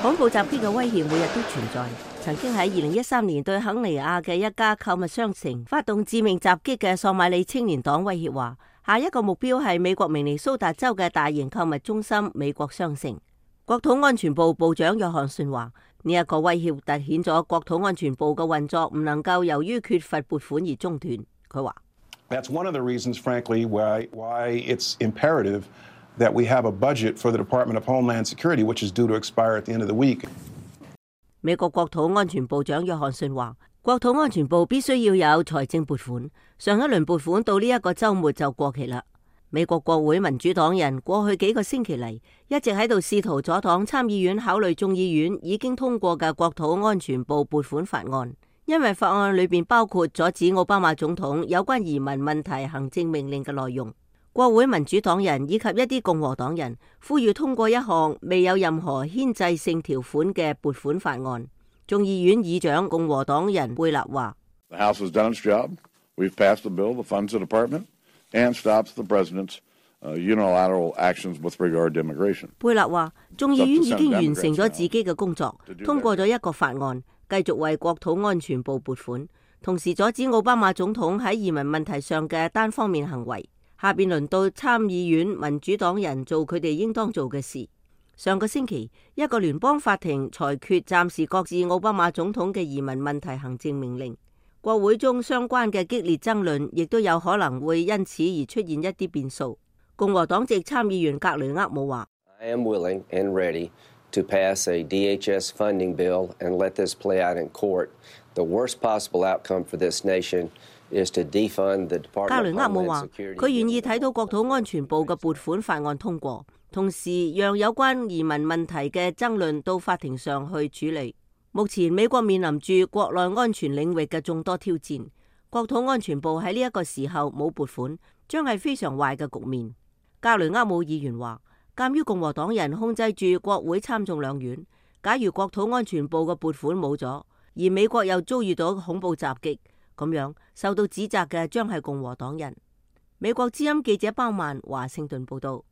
恐怖襲擊嘅威脅每日都存在。曾經喺2013年對肯尼亞嘅一家購物商城發動致命襲擊嘅索馬里青年黨威脅話，下一個目標係美國明尼蘇達州嘅大型購物中心美國商城。國土安全部部長約翰遜話，呢一個威脅凸顯咗國土安全部嘅運作唔能夠由於缺乏撥款而中斷。佢話：That's one of the reasons, frankly, why it's imperative that we have a budget for the Department of Homeland Security, which is due to expire at the end of the week. 美國國土安全部長約翰遜話，國土安全部必須要有財政撥款，上一輪撥款到呢一個週末就過期啦。美國國會民主黨人過去幾個星期嚟一直喺度試圖阻擋參議院考慮眾議院已經通過嘅國土安全部撥款法案，因為法案裏邊包括阻止奧巴馬總統有關移民問題行政命令嘅內容。國會民主黨人以及一啲共和黨人呼籲通過一項未有任何牽制性條款嘅撥款法案。眾議院議長共和黨人貝勒話：The House has done its job. We've passed the bill that funds the department and stops the president's unilateral actions with regard to immigration. 貝勒話：眾議院已經完成咗自己嘅工作，通過咗一個法案，繼續為國土安全部撥款，同時阻止奧巴馬總統喺移民問題上嘅單方面行為。下邊輪到參議院民主黨人做佢哋應當做嘅事。上個星期，一個聯邦法庭裁決暫時擱置奧巴馬總統嘅移民問題行政命令。國會中相關嘅激烈爭論亦都有可能會因此而出現一啲變數。共和黨籍參議員格雷厄姆話：I am willing and ready to pass a DHS funding bill and let this play out in court. The worst possible outcome for this nation is to defund the Department of Homeland Security. 格雷厄姆話：佢願意睇到國土安全部嘅撥款法案通過，同時讓有關移民問題嘅爭論到法庭上去處理。目前美國面臨住國內安全領域嘅眾多挑戰，國土安全部喺呢一個時候冇撥款，將係非常壞嘅局面。格雷厄姆議員話：鑑於共和黨人控制住國會參眾兩院，假如國土安全部嘅撥款冇咗，而美國又遭遇到恐怖襲擊，咁樣受到指責嘅將係共和黨人。美國之音記者包曼華盛頓報道。